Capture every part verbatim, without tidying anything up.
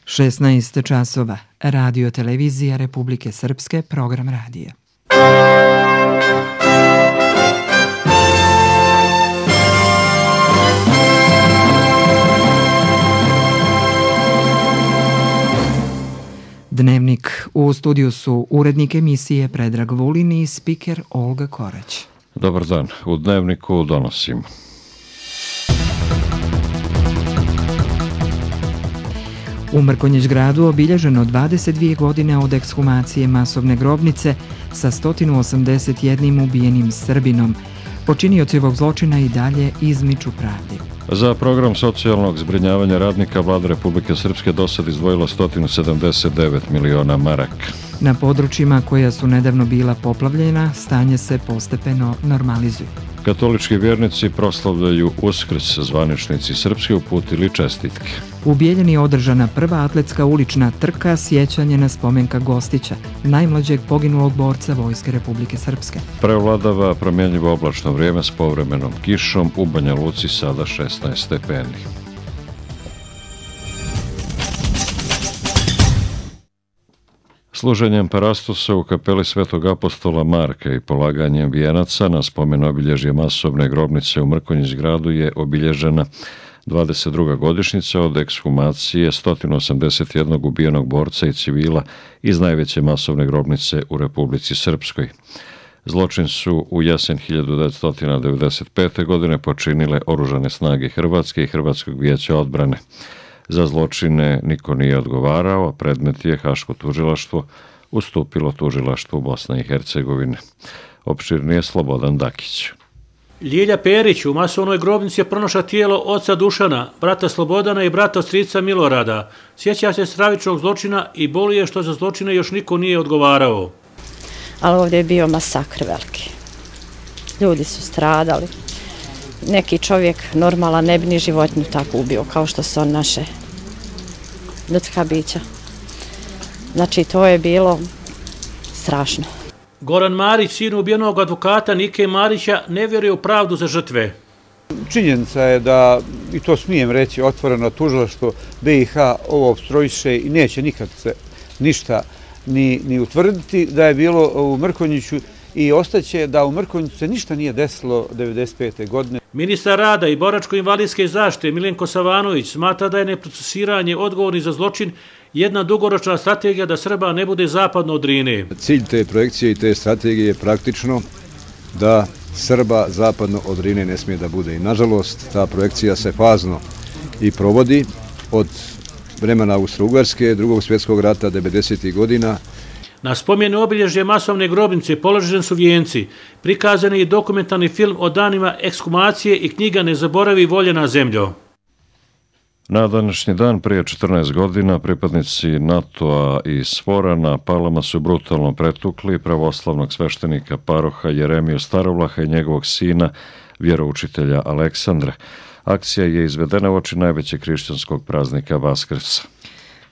šesnaest časova. Radio televizija Republike Srpske, program radija. Dnevnik. U studiju su urednik emisije Predrag Vulin i spiker Olga Korać. Dobar dan. U Dnevniku donosimo. U Mrkonjić gradu obilježeno dvadeset dvije godine od ekshumacije masovne grobnice sa sto osamdeset jedan ubijenim Srbinom. Počinioci ovog zločina i dalje izmiču pravdi. Za program socijalnog zbrinjavanja radnika Vlada Republike Srpske dosad izdvojila sto sedamdeset devet miliona maraka. Na područjima koja su nedavno bila poplavljena, stanje se postepeno normalizuje. Katolički vjernici proslavljaju Uskrs, zvaničnici srpske uputili čestitke. U Bijeljini je održana prva atletska ulična trka, sjećanje na spomenka Gostića, najmlađeg poginulog borca Vojske Republike Srpske. Prevladava promjenjivo oblačno vrijeme s povremenom kišom, u Banja Luci sada šesnaest stepeni. Služenjem parastusa u kapeli Svetog apostola Marka i polaganjem vijenaca na spomen obilježje masovne grobnice u Mrkonjić gradu je obilježena dvadeset druga godišnjica od ekshumacije sto osamdeset jedan ubijenog borca i civila iz najveće masovne grobnice u Republici Srpskoj. Zločin su u jesen hiljadu devetsto devedeset pete. godine počinile oružane snage Hrvatske i Hrvatskog vijeća odbrane. Za zločine niko nije odgovarao, a predmet je Haško tužilaštvo ustupilo tužilaštvu Bosne i Hercegovine. Opširnije Slobodan Dakić. Ljilja Perić u masovnoj grobnici je pronašla tijelo oca Dušana, brata Slobodana i brata strica Milorada. Sjeća se stravičnog zločina i boli je što za zločine još niko nije odgovarao. Ali ovdje je bio masakr veliki. Ljudi su stradali. Neki čovjek normalan ne bi ni životinju tako ubio kao što su on naše ljudska bića. Znači to je bilo strašno. Goran Marić, sin ubijenog advokata Nike Marića, ne vjeruje u pravdu za žrtve. Činjenica je da, i to smijem reći otvoreno, tužilaštvo B i H ovo opstrojiše i neće nikad se ništa ni, ni utvrditi da je bilo u Mrkonjiću i ostaće da u Mrkonjiću se ništa nije desilo devedeset pete. godine. Ministar rada i boračko-invalidske zaštite Milenko Savanović smatra da je neprocesuiranje odgovorni za zločin jedna dugoročna strategija da Srba ne bude zapadno od Drine. Cilj te projekcije i te strategije je praktično da Srba zapadno od Drine ne smije da bude. I nažalost ta projekcija se fazno i provodi od vremena Austro-Ugarske, drugog svjetskog rata, devedesetih godina. Na spomenu obilježje masovne grobnice položeni su vijenci, prikazan je i dokumentarni film o danima ekshumacije i knjiga Ne zaboravi voljena zemljo. Na današnji dan prije četrnaest godina pripadnici NATO-a i SFOR-a na Palama su brutalno pretukli pravoslavnog sveštenika paroha Jeremiju Starovlaha i njegovog sina, vjeroučitelja Aleksandra. Akcija je izvedena uoči najvećeg hrišćanskog praznika Vaskrsa.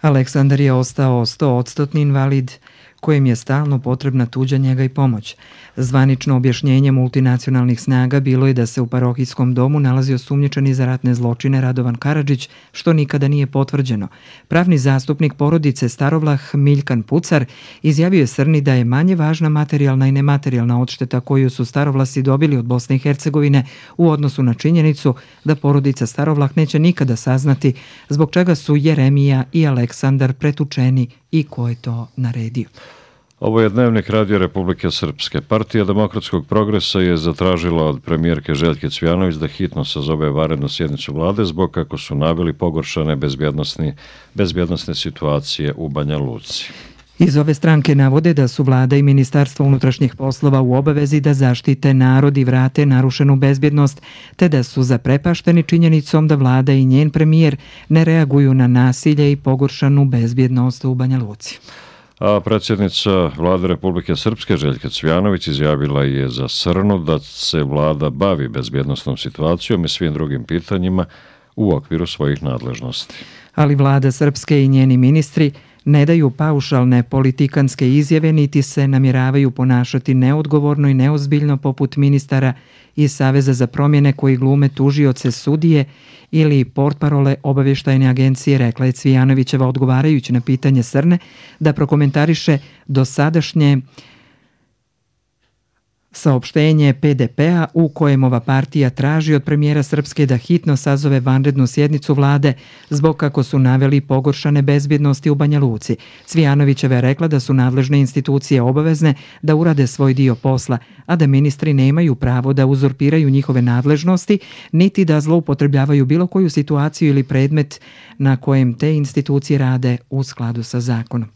Aleksandar je ostao sto posto invalid, kojem je stalno potrebna tuđa njega i pomoć. Zvanično objašnjenje multinacionalnih snaga bilo je da se u parohijskom domu nalazio sumnjičeni za ratne zločine Radovan Karadžić, što nikada nije potvrđeno. Pravni zastupnik porodice Starovlah Miljkan Pucar izjavio je Srni da je manje važna materijalna i nematerijalna odšteta koju su Starovlasi dobili od Bosne i Hercegovine u odnosu na činjenicu da porodica Starovlah neće nikada saznati zbog čega su Jeremija i Aleksandar pretučeni i ko je to naredio. Ovo je Dnevnik Radio Republike Srpske. Partija Demokratskog progresa je zatražila od premijerke Željke Cvijanović da hitno sazove vanrednu sjednicu vlade zbog, kako su naveli, pogoršane bezbjednosne, bezbjednosne situacije u Banja Luci. Iz ove stranke navode da su vlada i Ministarstvo unutrašnjih poslova u obavezi da zaštite narod i vrate narušenu bezbjednost, te da su zaprepašteni činjenicom da vlada i njen premijer ne reaguju na nasilje i pogoršanu bezbjednost u Banja Luci. A predsjednica Vlade Republike Srpske Željka Cvijanović izjavila je za Srnu da se vlada bavi bezbjednosnom situacijom i svim drugim pitanjima u okviru svojih nadležnosti. Ali vlada Srpske i njeni ministri ne daju paušalne politikanske izjave niti se namjeravaju ponašati neodgovorno i neozbiljno poput ministara iz Saveza za promjene koji glume tužioce, sudije ili portparole obavještajne agencije, rekla je Cvijanovićeva odgovarajući na pitanje Srne da prokomentariše dosadašnje saopštenje P D P-a u kojem ova partija traži od premijera Srpske da hitno sazove vanrednu sjednicu vlade zbog, kako su naveli, pogoršane bezbjednosti u Banja Luci. Cvijanovićeva je rekla da su nadležne institucije obavezne da urade svoj dio posla, a da ministri nemaju pravo da uzurpiraju njihove nadležnosti, niti da zloupotrebljavaju bilo koju situaciju ili predmet na kojem te institucije rade u skladu sa zakonom.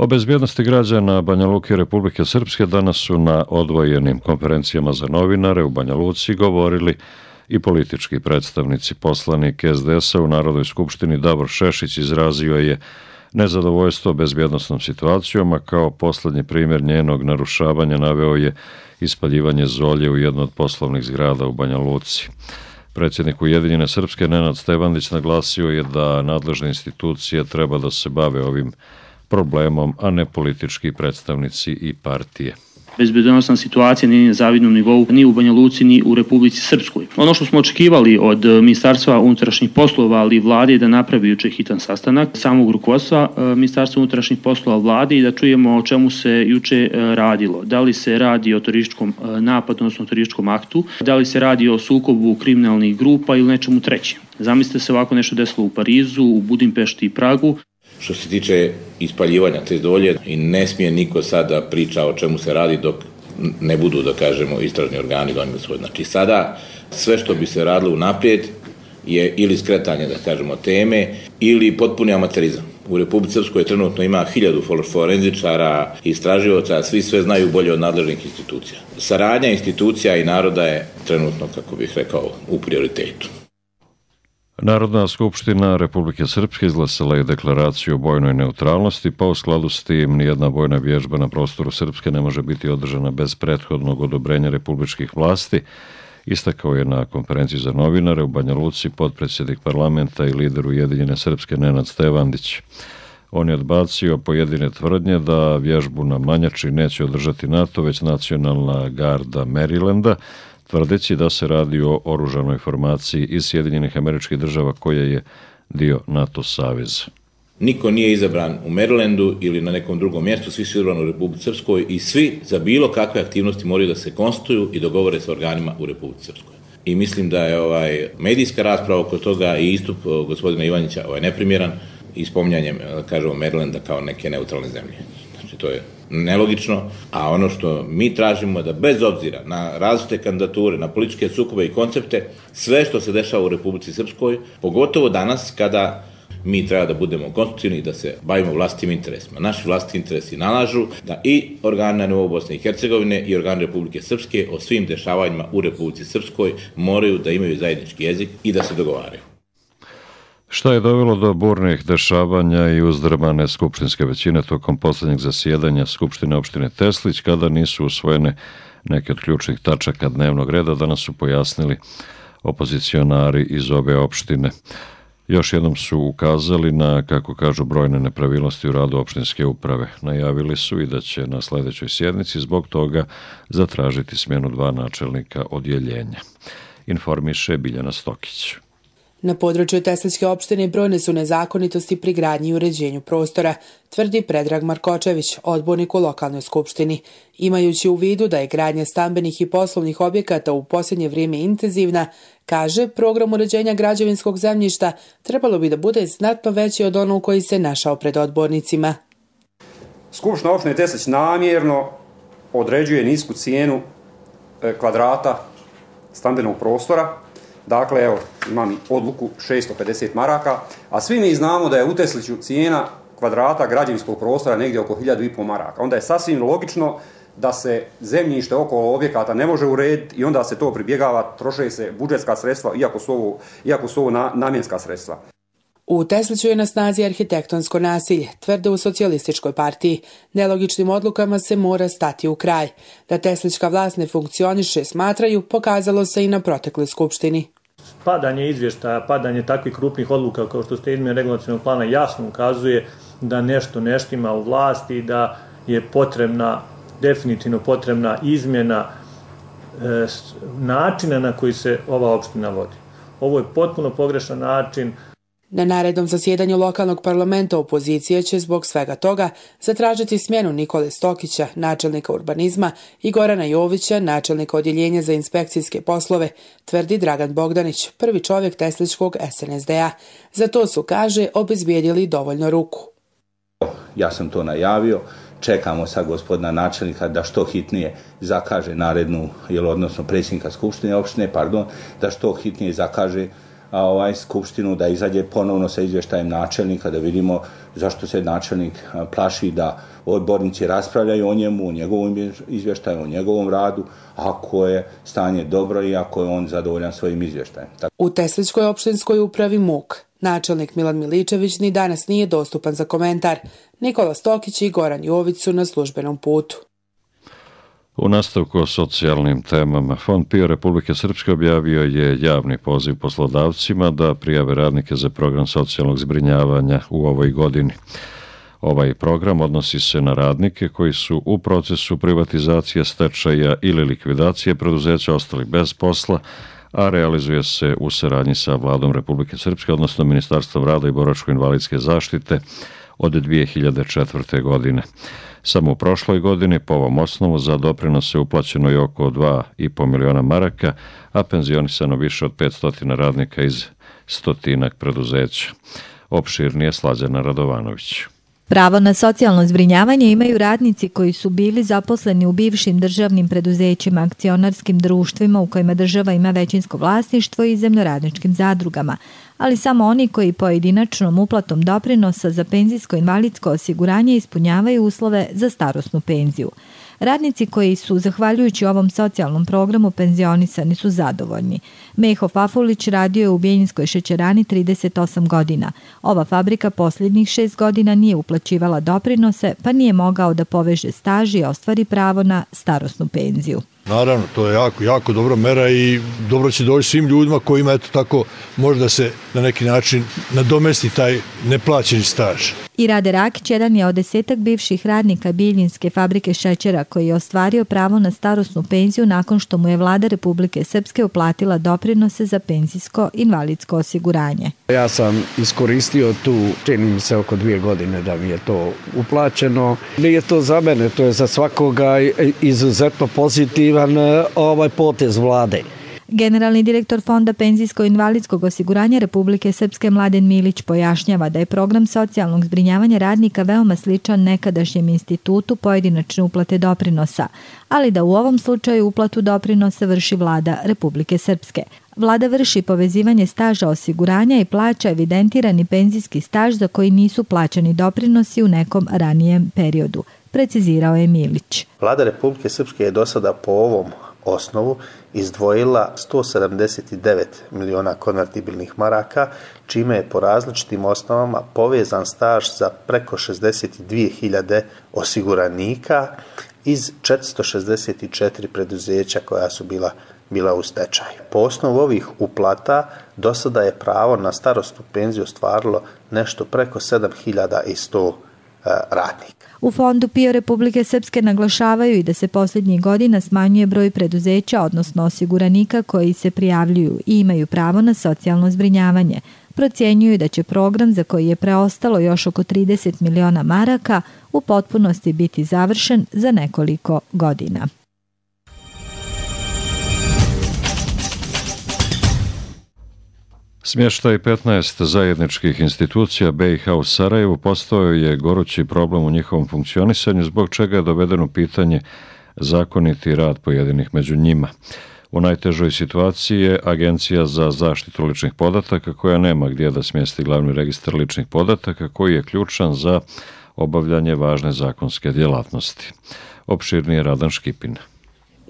O bezbjednosti građana Banja Luke i Republike Srpske danas su na odvojenim konferencijama za novinare u Banja Luci govorili i politički predstavnici. Poslanik S D S-a u Narodnoj skupštini Davor Šešić izrazio je nezadovoljstvo bezbjednosnom situacijom, a kao poslednji primjer njenog narušavanja naveo je ispaljivanje zolje u jedno od poslovnih zgrada u Banja Luci. Predsjednik Ujedinjene Srpske Nenad Stevandić naglasio je da nadležne institucije treba da se bave ovim problemom, a ne politički predstavnici i partije. Bezbednosna situacija nije na zavidnom nivou ni u Banja Luci ni u Republici Srpskoj. Ono što smo očekivali od Ministarstva unutrašnjih poslova, ali i vlade, je da napravi juče hitan sastanak samog rukovodstva Ministarstva unutrašnjih poslova vlade i da čujemo o čemu se juče radilo. Da li se radi o terorističkom napadu, odnosno terorističkom aktu, da li se radi o sukobu kriminalnih grupa ili nečemu trećem. Zamislite se ovako nešto desilo u Parizu, u Budimpešti i Pragu. Što se tiče ispaljivanja te zolje, i ne smije niko sada priča o čemu se radi dok ne budu, da kažemo, istražni organi donijeli svoj. Znači sada sve što bi se radilo unaprijed je ili skretanje, da kažemo, teme ili potpuni amaterizam. U Republici Srpskoj trenutno ima hiljadu forenzičara, istraživaca, svi sve znaju bolje od nadležnih institucija. Saradnja institucija i naroda je trenutno, kako bih rekao, u prioritetu. Narodna skupština Republike Srpske izglasala je deklaraciju o vojnoj neutralnosti, pa u skladu s tim nijedna vojna vježba na prostoru Srpske ne može biti održana bez prethodnog odobrenja republičkih vlasti, istakao je na konferenciji za novinare u Banja Luci potpredsjednik parlamenta i lider Ujedinjene Srpske Nenad Stevandić. On je odbacio pojedine tvrdnje da vježbu na Manjači neće održati NATO, već nacionalna garda Marylanda, tvrdeći da se radi o oružanoj formaciji iz Sjedinjenih Američkih Država koja je dio NATO saveza. Niko nije izabran u Marylandu ili na nekom drugom mjestu, svi su izabrani u Republici Srpskoj i svi za bilo kakve aktivnosti moraju da se konstituju i dogovore sa organima u Republici Srpskoj. I mislim da je ovaj medijska rasprava oko toga i istup gospodina Ivanića ovaj neprimjeran i spominjanjem, kažemo, Marylanda kao neke neutralne zemlje. Znači to je nelogično, a ono što mi tražimo da bez obzira na različite kandidature, na političke sukobe i koncepte, sve što se dešava u Republici Srpskoj, pogotovo danas kada mi treba da budemo konstruktivni i da se bavimo vlastitim interesima. Naši vlastiti interesi nalažu da i organi na nivou Bosne i Hercegovine i organi Republike Srpske o svim dešavanjima u Republici Srpskoj moraju da imaju zajednički jezik i da se dogovaraju. Šta je dovelo do burnih dešavanja i uzdrmane skupštinske većine tokom posljednjeg zasjedanja Skupštine opštine Teslić, kada nisu usvojene neke od ključnih tačaka dnevnog reda, danas su pojasnili opozicionari iz ove opštine. Još jednom su ukazali na, kako kažu, brojne nepravilnosti u radu opštinske uprave. Najavili su i da će na sljedećoj sjednici zbog toga zatražiti smjenu dva načelnika odjeljenja. Informiše Biljana Stokić. Na području Teslićke opštine brojne su nezakonitosti pri gradnji i uređenju prostora, tvrdi Predrag Markočević, odbornik u lokalnoj skupštini. Imajući u vidu da je gradnja stambenih i poslovnih objekata u posljednje vrijeme intenzivna, kaže, program uređenja građevinskog zemljišta trebalo bi da bude znatno veći od onog koji se našao pred odbornicima. Skupština opštine Teslić namjerno određuje nisku cijenu kvadrata stambenog prostora. Dakle, evo, imam i odluku šesto pedeset maraka, a svi mi znamo da je u Tesliću cijena kvadrata građevinskog prostora negdje oko hiljadu i pol maraka. Onda je sasvim logično da se zemljište okolo objekata ne može urediti i onda se to pribjegava, troše se budžetska sredstva, iako su ovo, iako su ovo na, namjenska sredstva. U Tesliću je na snazi arhitektonsko nasilje, tvrde u socijalističkoj partiji. Nelogičnim odlukama se mora stati u kraj. Da teslićka vlast ne funkcioniše, smatraju, pokazalo se i na protekloj skupštini. Padanje izvještaja, padanje takvih krupnih odluka kao što ste izmjene regulacionog plana jasno ukazuje da nešto ne štima u vlasti i da je potrebna, definitivno potrebna izmjena e, načina na koji se ova opština vodi. Ovo je potpuno pogrešan način. Na narednom zasjedanju lokalnog parlamenta opozicija će zbog svega toga zatražiti smjenu Nikole Stokića, načelnika urbanizma, i Gorana Jovića, načelnika odjeljenja za inspekcijske poslove, tvrdi Dragan Bogdanić, prvi čovjek tesličkog es en es de a. Za to su, kaže, obezbijedili dovoljno ruku. Ja sam to najavio. Čekamo sad gospodina načelnika da što hitnije zakaže narednu, jel, odnosno predsjednika skupštine opštine, pardon, da što hitnije zakaže a, ovaj skupštinu, da izađe ponovno sa izvještajem načelnika, da vidimo zašto se načelnik a, plaši da odbornici raspravljaju o njemu, o njegovom izvještaju, o njegovom radu, ako je stanje dobro i ako je on zadovoljan svojim izvještajem. Tako... U Tesličkoj opštinskoj upravi Muk načelnik Milan Miličević ni danas nije dostupan za komentar. Nikola Stokić i Goran Jović su na službenom putu. U nastavku o socijalnim temama, Fond PIO Republike Srpske objavio je javni poziv poslodavcima da prijave radnike za program socijalnog zbrinjavanja u ovoj godini. Ovaj program odnosi se na radnike koji su u procesu privatizacije, stečaja ili likvidacije preduzeća ostali bez posla, a realizuje se u saradnji sa Vladom Republike Srpske, odnosno Ministarstvom rada i boračko-invalidske zaštite od dvije hiljade četvrte. godine. Samo u prošloj godini po ovom osnovu za doprinose uplaćeno je oko dva i po miliona maraka, a penzionisano više od petsto radnika iz stotinak preduzeća. Opširnije Slađana Radovanović. Pravo na socijalno zbrinjavanje imaju radnici koji su bili zaposleni u bivšim državnim preduzećima, akcionarskim društvima u kojima država ima većinsko vlasništvo i zemljoradničkim zadrugama, ali samo oni koji pojedinačnom uplatom doprinosa za penzijsko-invalidsko osiguranje ispunjavaju uslove za starosnu penziju. Radnici koji su, zahvaljujući ovom socijalnom programu, penzionisani su zadovoljni. Meho Fafulić radio je u Bjeljinskoj šećerani trideset osam godina. Ova fabrika posljednjih šest godina nije uplaćivala doprinose, pa nije mogao da poveže staž i ostvari pravo na starosnu penziju. Naravno, to je jako, jako dobra mera i dobro će doći svim ljudima kojima eto tako možda se na neki način nadomesti taj neplaćeni staž. I Rade Rakić jedan je od desetak bivših radnika Bijeljinske fabrike šećera koji je ostvario pravo na starosnu penziju nakon što mu je Vlada Republike Srpske uplatila doprinose za penzijsko invalidsko osiguranje. Ja sam iskoristio tu, čini mi se oko dvije godine da mi je to uplaćeno. Nije to za mene, to je za svakoga izuzetno pozitivan ovaj potez vlade. Generalni direktor Fonda penzijsko-invalidskog osiguranja Republike Srpske Mladen Milić pojašnjava da je program socijalnog zbrinjavanja radnika veoma sličan nekadašnjem institutu pojedinačne uplate doprinosa, ali da u ovom slučaju uplatu doprinosa vrši Vlada Republike Srpske. Vlada vrši povezivanje staža osiguranja i plaća evidentirani penzijski staž za koji nisu plaćani doprinosi u nekom ranijem periodu, precizirao je Milić. Vlada Republike Srpske je do sada po ovom osnovu izdvojila sto sedamdeset devet miliona konvertibilnih maraka, čime je po različitim osnovama povezan staž za preko šezdeset dvije hiljade osiguranika iz četiristo šezdeset četiri preduzeća koja su bila bila u stečaju. Po osnovu ovih uplata do sada je pravo na starosnu penziju ostvarilo nešto preko sedam hiljada sto radnika. U Fondu PIO Republike Srpske naglašavaju i da se posljednjih godina smanjuje broj preduzeća, odnosno osiguranika koji se prijavljuju i imaju pravo na socijalno zbrinjavanje. Procjenjuju da će program za koji je preostalo još oko trideset miliona maraka u potpunosti biti završen za nekoliko godina. Smještaj petnaest zajedničkih institucija be i ha u Sarajevu postao je gorući problem u njihovom funkcionisanju, zbog čega je dovedeno pitanje zakoniti rad pojedinih među njima. U najtežoj situaciji je Agencija za zaštitu ličnih podataka, koja nema gdje da smjesti glavni registar ličnih podataka, koji je ključan za obavljanje važne zakonske djelatnosti. Opširnije Radan Škipin.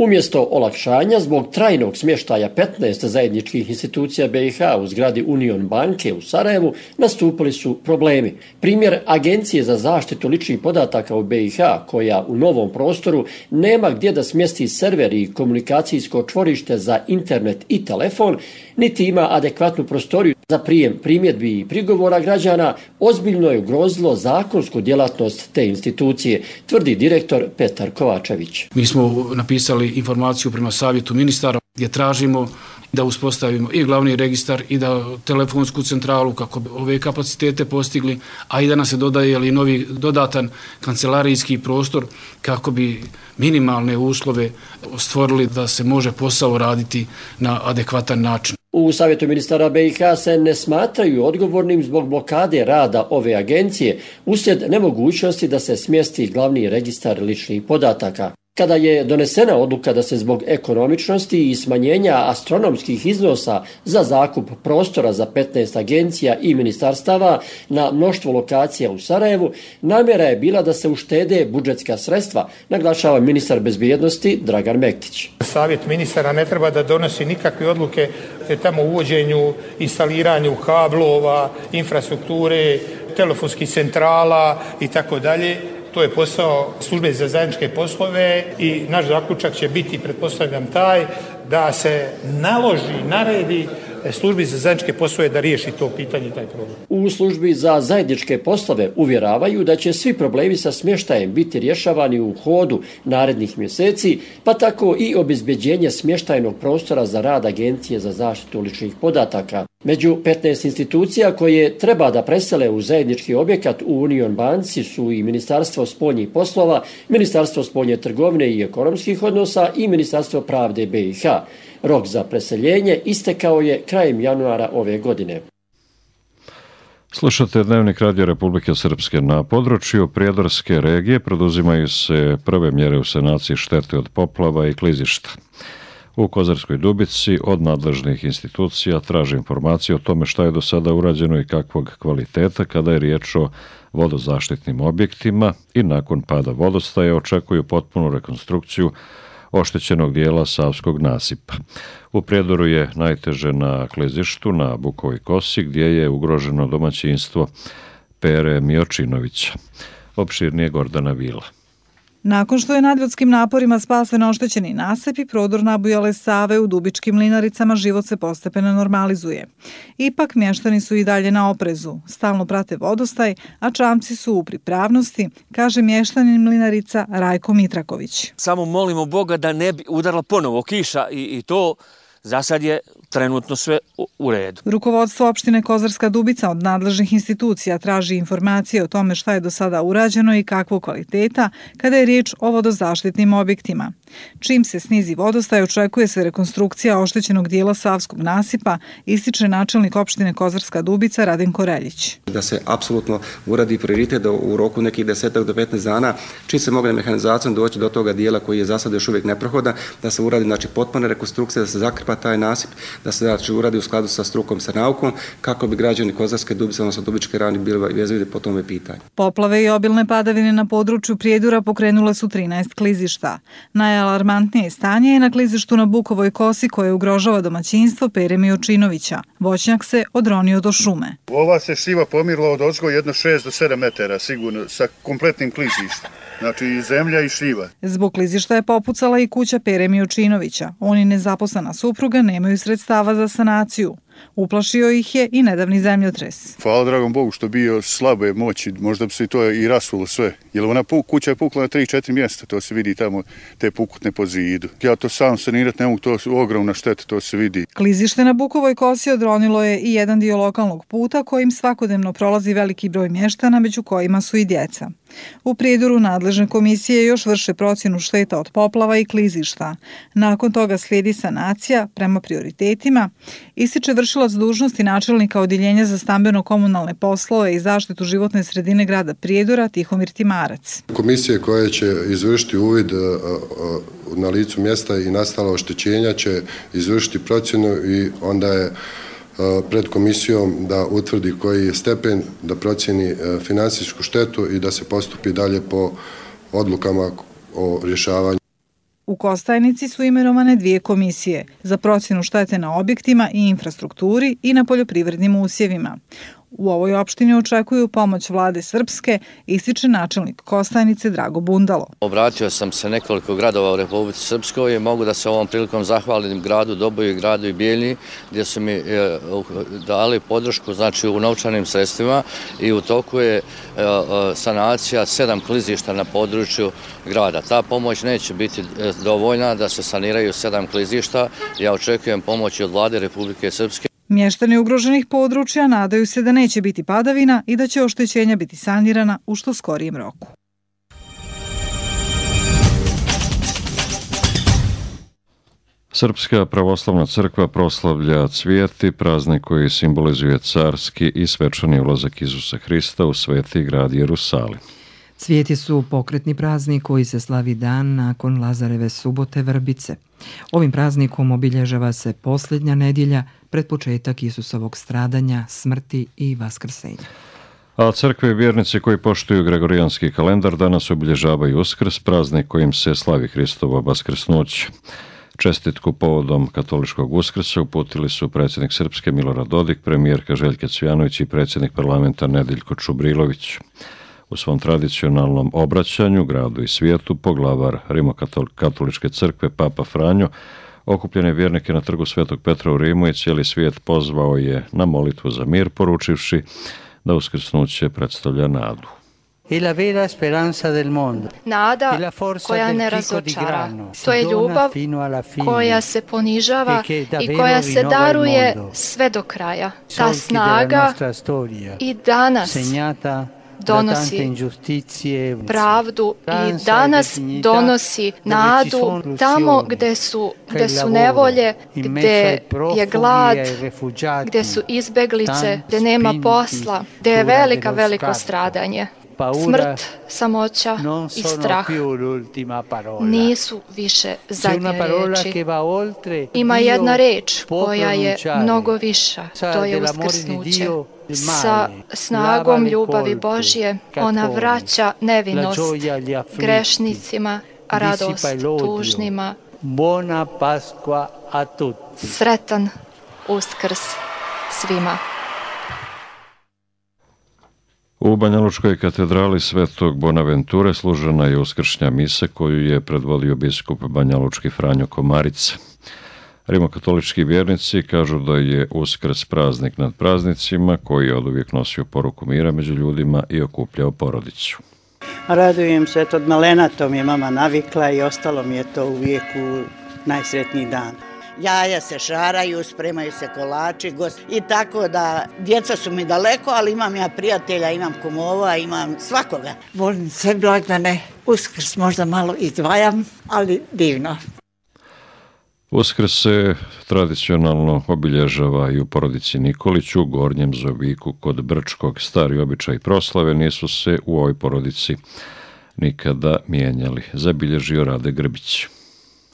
Umjesto olakšanja zbog trajnog smještaja petnaest zajedničkih institucija B i H u zgradi Union banke u Sarajevu nastupili su problemi. Primjer Agencije za zaštitu ličnih podataka u B i H, koja u novom prostoru nema gdje da smjesti server i komunikacijsko čvorište za internet i telefon, niti ima adekvatnu prostoriju za prijem primjedbi i prigovora građana, ozbiljno je ugrozilo zakonsku djelatnost te institucije, tvrdi direktor Petar Kovačević. Mi smo napisali informaciju prema savjetu ministara gdje tražimo da uspostavimo i glavni registar i da telefonsku centralu kako bi ove kapacitete postigli, a i da nam se dodaje ili novi dodatan kancelarijski prostor kako bi minimalne uslove stvorili da se može posao raditi na adekvatan način. U Savjetu ministara B i H se ne smatraju odgovornim zbog blokade rada ove agencije uslijed nemogućnosti da se smjesti glavni registar ličnih podataka. Kada je donesena odluka da se zbog ekonomičnosti i smanjenja astronomskih iznosa za zakup prostora za petnaest agencija i ministarstava na mnoštvo lokacija u Sarajevu, namjera je bila da se uštede budžetska sredstva, naglašava ministar bezbjednosti Dragan Mektić. Savjet ministara ne treba da donosi nikakve odluke tamo uvođenju, instaliranju kablova, infrastrukture, telefonskih centrala i tako dalje. To je posao službe za zajedničke poslove i naš zaključak će biti, pretpostavljam, taj da se naloži, naredi službi za zajedničke poslove da riješi to pitanje i taj problem. U službi za zajedničke poslove uvjeravaju da će svi problemi sa smještajem biti rješavani u hodu narednih mjeseci, pa tako i obezbeđenje smještajnog prostora za rad Agencije za zaštitu ličnih podataka. Među petnaest institucija koje treba da presele u zajednički objekat u Union banci su i Ministarstvo spoljnih poslova, Ministarstvo spoljne trgovine i ekonomskih odnosa i Ministarstvo pravde B i H. Rok za preseljenje istekao je krajem januara ove godine. Slušate Dnevnik Radio Republike Srpske. Na području Prijedorske regije preduzimaju se prve mjere u sanaciji štete od poplava i klizišta. U Kozarskoj Dubici od nadležnih institucija traže informacije o tome šta je do sada urađeno i kakvog kvaliteta kada je riječ o vodozaštitnim objektima i nakon pada vodostaja očekuju potpunu rekonstrukciju oštećenog dijela Savskog nasipa. U Prijedoru je najteže na klizištu na Bukovoj kosi gdje je ugroženo domaćinstvo Pere Miočinovića. Opširnije Gordana Vila. Nakon što je nadljudskim naporima spasen oštećeni nasip i prodor nabujale Save u Dubičkim Mlinaricama, život se postepeno normalizuje. Ipak mještani su i dalje na oprezu, stalno prate vodostaj, a čamci su u pripravnosti, kaže mještanin Mlinarica Rajko Mitraković. Samo molimo Boga da ne bi udarila ponovo kiša i, i to za sad je trenutno sve u redu. Rukovodstvo opštine Kozarska Dubica od nadležnih institucija traži informacije o tome šta je do sada urađeno i kakvog kvaliteta kada je riječ o vodozaštitnim objektima. Čim se snizi vodostaj, očekuje se rekonstrukcija oštećenog dijela Savskog nasipa, ističe načelnik opštine Kozarska Dubica Radenko Reljić. Da se apsolutno uradi prioritet da u roku nekih desetak do petnaest dana, čim se mogne mehanizacijom doći do toga dijela koji je za sad još uvijek neprohodan, da se uradi znači potpuna rekonstrukcija, da se zakrpa taj nasip, da se znači uradi u skladu sa strukom, sa naukom, kako bi građani Kozarske Dubice, odnosno Dubičke Ravni bili vezivili po tome pitanju. Poplave i obilne padavine na području Prijedora pokrenule su trinaest klizišta. Najalarmantnije stanje je na klizištu na Bukovoj kosi koje ugrožava domaćinstvo Pere Miočinovića. Voćnjak se odronio do šume. Ova se šiva pomirila od ozgo jedno šest do sedam metara sigurno sa kompletnim klizištem. Znači i zemlja i šiva. Zbog klizišta je popucala i kuća Pere Miočinovića. Oni nezaposlena supruga nemaju sredstava za sanaciju. Uplašio ih je i nedavni zemljotres. Hvala dragom Bogu što bio slabe moći, možda bi se to i rasulo sve. Jer ona kuća je pukla na tri četiri mjesta, to se vidi tamo te pukutne po zidu. Ja to sam sanirat ne mogu, to su ogromna šteta, to se vidi. Klizište na Bukovoj kosi odronilo je i jedan dio lokalnog puta kojim svakodnevno prolazi veliki broj mještana, među kojima su i djeca. U Prijedoru nadležne komisije još vrše procjenu šteta od poplava i klizišta. Nakon toga slijedi sanacija prema prioritetima, ističe vršilac dužnosti načelnika Odjeljenja za stambeno-komunalne poslove i zaštitu životne sredine grada Prijedora Tihomir Timarac. Komisije koje će izvršiti uvid na licu mjesta i nastala oštećenja će izvršiti procjenu i onda je pred komisijom da utvrdi koji je stepen, da procjeni finansijsku štetu i da se postupi dalje po odlukama o rješavanju. U Kostajnici su imenovane dvije komisije za procjenu štete na objektima i infrastrukturi i na poljoprivrednim usjevima. U ovoj opštini očekuju pomoć vlade Srpske, ističe načelnik Kostajnice Drago Bundalo. Obratio sam se nekoliko gradova u Republici Srpskoj i mogu da se ovom prilikom zahvalim gradu Doboju i gradu i Bijeljini gdje su mi dali podršku znači u novčanim sredstvima i u toku je sanacija sedam klizišta na području grada. Ta pomoć neće biti dovoljna da se saniraju sedam klizišta. Ja očekujem pomoć od vlade Republike Srpske. Mještani ugroženih područja nadaju se da neće biti padavina i da će oštećenja biti sanirana u što skorijem roku. Srpska pravoslavna crkva proslavlja Cvijeti, praznik koji simbolizuje carski i svečani ulazak Isusa Hrista u sveti grad Jerusalim. Cvijeti su pokretni praznik koji se slavi dan nakon Lazareve subote Vrbice. Ovim praznikom obilježava se posljednja nedjelja pred početak Isusovog stradanja, smrti i vaskrsenja. A crkve i vjernici koji poštuju gregorijanski kalendar danas obilježavaju Uskrs, praznik kojim se slavi Hristovo vaskrsnuće. Čestitku povodom katoličkog Uskrsa uputili su predsjednik Srpske Milorad Dodik, premijerka Željka Cvijanović i predsjednik parlamenta Nedeljko Čubrilović. U svom tradicionalnom obraćanju gradu i svijetu poglavar Rimokatoličke crkve Papa Franjo okupljene vjernike na trgu Svetog Petra u Rimu i cijeli svijet pozvao je na molitvu za mir, poručivši da uskrsnuće predstavlja nadu. Nada koja ne razočara. To je ljubav koja se ponižava i koja se daruje sve do kraja. Ta snaga i danas donosi pravdu i danas donosi nadu tamo gdje su, gdje su nevolje, gdje je glad, gdje su izbeglice, gdje nema posla, gdje je velika, veliko stradanje. Smrt, samoća i strah nisu više zadnje riječi. Ima jedna reč koja je mnogo viša, to je uskrsnuće. Sa snagom ljubavi Božje ona vraća nevinost grešnicima, radost tužnima. Sretan Uskrs svima. U Banjalučkoj katedrali Svetog Bonaventure služena je uskršnja misa koju je predvodio biskup banjalučki Franjo Komarica. Rimokatolički vjernici kažu da je Uskrs praznik nad praznicima koji je oduvijek nosio poruku mira među ljudima i okupljao porodicu. Radujem se, od malena to mi je mama navikla i ostalo mi je to uvijek u najsretniji dan. Jaja se šaraju, spremaju se kolači gost, i tako da djeca su mi daleko, ali imam ja prijatelja, imam kumova, imam svakoga. Volim sve blagdane, Uskrs možda malo izdvajam, ali divno. Uskrs se tradicionalno obilježava i u porodici Nikolić u Gornjem Zoviku kod Brčkog. Stari običaj proslave nisu se u ovoj porodici nikada mijenjali, zabilježio Rade Grbić.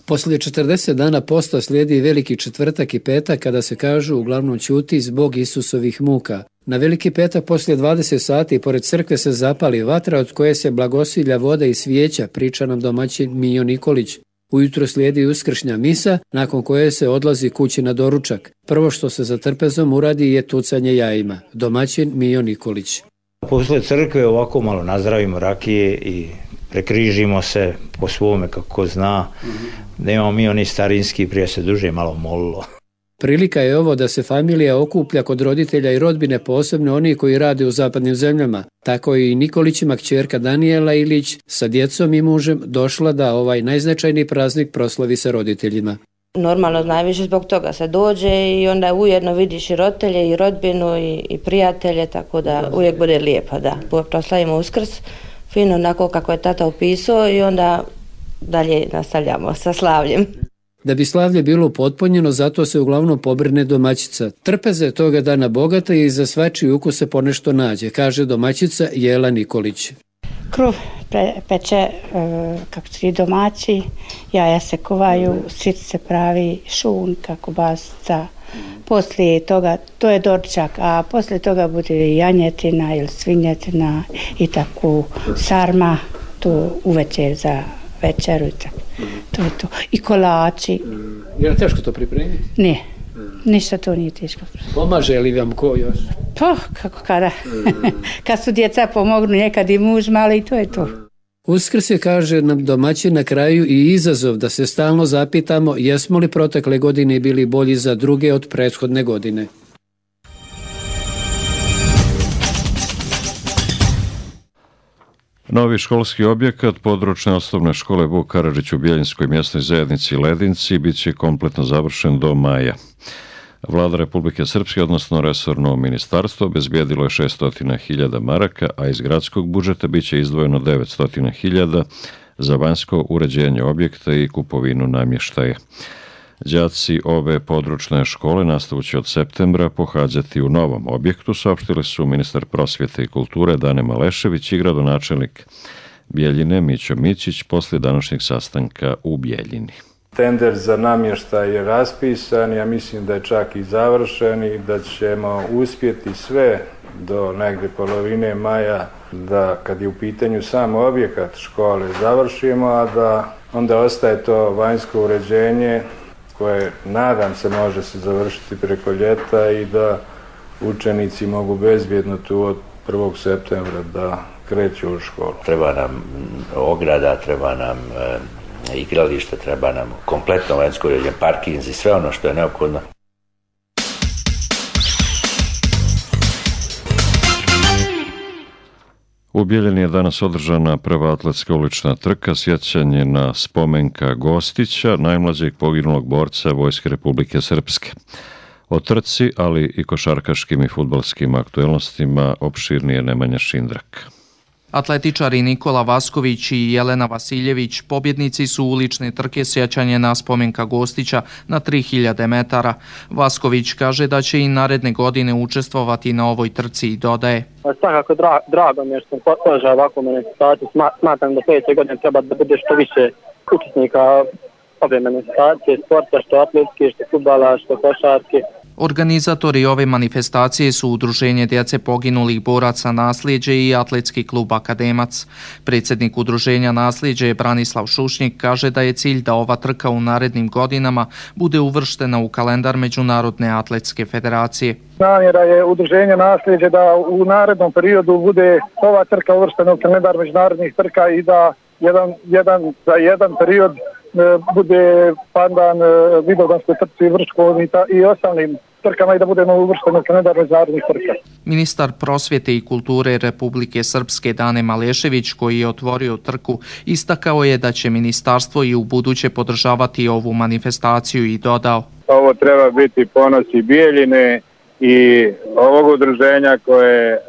Poslije četrdeset dana posta slijedi Veliki četvrtak i petak kada se kažu uglavnom ćuti zbog Isusovih muka. Na Veliki petak poslije dvadeset sati pored crkve se zapali vatra od koje se blagosilja voda i svijeća, priča nam domaćin Mijo Nikolić. Ujutro slijedi uskršnja misa, nakon koje se odlazi kući na doručak. Prvo što se za trpezom uradi je tucanje jajima. Domaćin Mijo Nikolić. Posle crkve ovako malo nazdravimo rakije i prekrižimo se po svome kako zna. Mm-hmm. Nemamo mi oni starinski, prije se duže malo molilo. Prilika je ovo da se familija okuplja kod roditelja i rodbine, posebno oni koji rade u zapadnim zemljama. Tako i Nikolićima kćerka Danijela Ilić sa djecom i mužem došla da ovaj najznačajniji praznik proslavi sa roditeljima. Normalno najviše zbog toga se dođe i onda ujedno vidiš i roditelje i rodbinu i, i prijatelje, tako da uvijek bude lijepo da proslavimo Uskrs fino onako kako je tata upisao i onda dalje nastavljamo sa slavljem. Da bi slavlje bilo upotpunjeno, zato se uglavnom pobrine domaćica. Trpeza je toga dana bogata i za svačiji ukus se ponešto nađe, kaže domaćica Jela Nikolić. Kruh pre, peče e, kako svi domaći, jaja se kovaju, sir se pravi, šunka, kobasica. Poslije toga, to je doručak, a poslije toga bude janjetina ili svinjetina i tako sarma, to uvečer za večeru i tako. To je to. I kolači. Je li teško to pripremiti? Ne, ništa to nije teško. Pomaže li vam ko još? Pa, kako kada. Kad su djeca pomognu, nekad i muž mali, to je to. Uskrs je, kaže nam domaćin, na kraju i izazov da se stalno zapitamo jesmo li protekle godine bili bolji za druge od prethodne godine. Novi školski objekat područne osnovne škole Vuk Karadžić u Bjeljinskoj mjesnoj zajednici Ledinci bit će kompletno završen do maja. Vlada Republike Srpske, odnosno resorno ministarstvo, obezbijedilo je šesto hiljada maraka, a iz gradskog budžeta bit će izdvojeno devetsto hiljada za vanjsko uređenje objekta i kupovinu namještaja. Đaci ove područne škole nastavu će od septembra pohađati u novom objektu, saopštili su ministar prosvjete i kulture Dane Malešević i gradonačelnik Bjeljine Mićo Mićić poslije današnjeg sastanka u Bjeljini. Tender za namještaj je raspisan, ja mislim da je čak i završen i da ćemo uspjeti sve do negdje polovine maja da kad je u pitanju sam objekat škole završimo, a da onda ostaje to vanjsko uređenje koje nadam se može se završiti preko ljeta i da učenici mogu bezbjedno tu od prvog septembra da kreću u školu. Treba nam ograda, treba nam e, igralište, treba nam kompletno vanjsko uređenje, parkinzi, sve ono što je neophodno. U Bjeljini je danas održana prva atletska ulična trka, sjećanje na Spomenka Gostića, najmlađeg poginulog borca Vojske Republike Srpske. O trci, ali i košarkaškim i fudbalskim aktuelnostima opširnije Nemanja Šindrak. Atletičari Nikola Vasković i Jelena Vasiljević pobjednici su ulične trke sjećanje na Spomenka Gostića na tri hiljade metara. Vasković kaže da će i naredne godine učestvovati na ovoj trci i dodaje. Svakako dra, drago mi je što sam podržao ovakvu manifestaciju. Smatram da sljedeće godine treba da bude što više učesnika ove manifestacije, sporta, što atletske, što fudbala, što košarke. Organizatori ove manifestacije su Udruženje djece poginulih boraca Nasljeđe i Atletski klub Akademac. Predsjednik Udruženja Nasljeđe Branislav Šušnjik kaže da je cilj da ova trka u narednim godinama bude uvrštena u kalendar Međunarodne atletske federacije. Namjera je Udruženja Nasljeđe da u narednom periodu bude ova trka uvrštena u kalendar međunarodnih trka i da jedan, jedan, za jedan period bude pandan Vidovdanskoj trci Vrškoj i ostalim trkama i da budemo uvršteni u kalendar međunarodnih trka. Ministar prosvjete i kulture Republike Srpske Dane Malešević, koji je otvorio trku, istakao je da će ministarstvo i u buduće podržavati ovu manifestaciju i dodao. Ovo treba biti ponos i Bijeljine i ovog udruženja koje je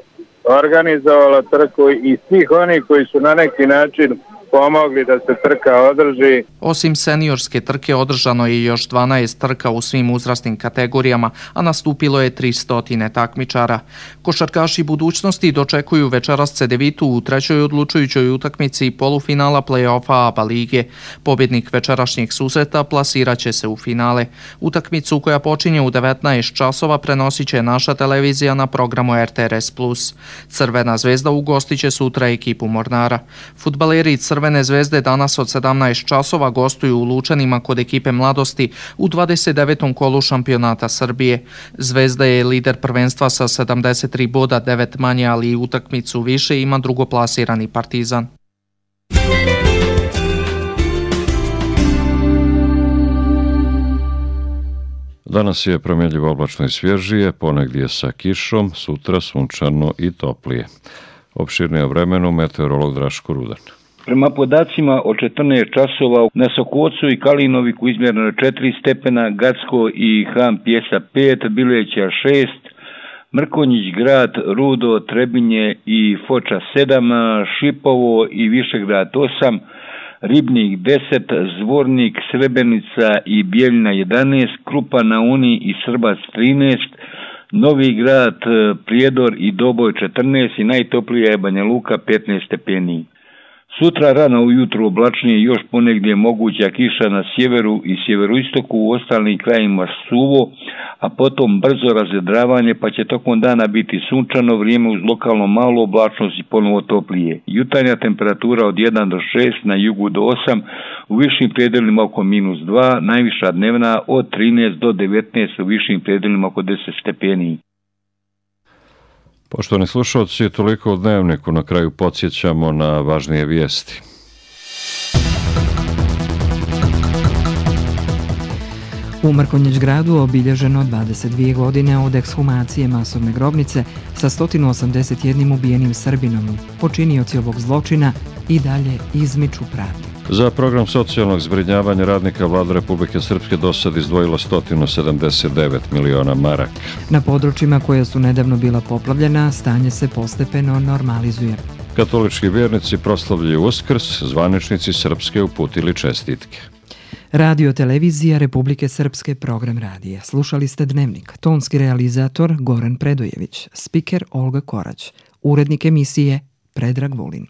organizovalo trku i svih onih koji su na neki način pomogli da se trka održi. Osim seniorske trke održano je još dvanaest trka u svim uzrasnim kategorijama, a nastupilo je tristo takmičara. Košarkaši budućnosti dočekuju večeras Cedevitu u trećoj odlučujućoj utakmici polufinala play-offa ABA lige. Pobjednik večerašnjeg susreta plasirat će se u finale. Utakmicu koja počinje u devetnaest časova prenosit će naša televizija na programu R T R S plus. Crvena zvezda ugostit će sutra ekipu Mornara. Fudbaleri Crvene zvezde danas od sedamnaest časova gostuju u Lučanima kod ekipe Mladosti u dvadeset devetom kolu šampionata Srbije. Zvezda je lider prvenstva sa sedamdeset tri boda, devet manje, ali i utakmicu više ima drugoplasirani Partizan. Danas je promjenljivo oblačno i svježije, ponegdje sa kišom, sutra sunčano i toplije. Opširnije o vremenu meteorolog Draško Rudan. Prema podacima od četrnaest časova na Sokocu i Kalinoviku izmjereno četiri stepena, Gacko i Han Pjesa pet, Bileća šest, Mrkonjić grad, Rudo, Trebinje i Foča sedam, Šipovo i Višegrad osam, Ribnik deset, Zvornik, Srebrenica i Bijeljina jedanaest, Krupa na Uni i Srbac trinaest, Novi grad, Prijedor i Doboj četrnaest i najtoplija je Banja Luka petnaest stepeni. Sutra rano ujutro oblačnije, još ponegdje moguća kiša na sjeveru i sjeveroistoku, u ostalim krajima suvo, a potom brzo razvedravanje, pa će tokom dana biti sunčano vrijeme uz lokalno malu oblačnost i ponovo toplije. Jutarnja temperatura od jedan do šest, na jugu do osam, u višim predelima oko minus dva, najviša dnevna od trinaest do devetnaest, u višim predelima oko deset stepeni. Poštovani slušalci, toliko u Dnevniku. Na kraju podsjećamo na važnije vijesti. U Mrkonjić gradu obilježeno dvadeset dvije godine od ekshumacije masovne grobnice sa sto osamdeset jedan ubijenim Srbinom. Počinioci ovog zločina i dalje izmiču pravdi. Za program socijalnog zbrinjavanja radnika Vlada Republike Srpske do sad izdvojila sto sedamdeset devet miliona maraka. Na područjima koja su nedavno bila poplavljena, stanje se postepeno normalizuje. Katolički vjernici proslavljaju Uskrs, zvaničnici Srpske uputili čestitke. Radio televizija Republike Srpske, program radija. Slušali ste Dnevnik. Tonski realizator Goran Predojević, spiker Olga Korać, urednik emisije Predrag Vulin.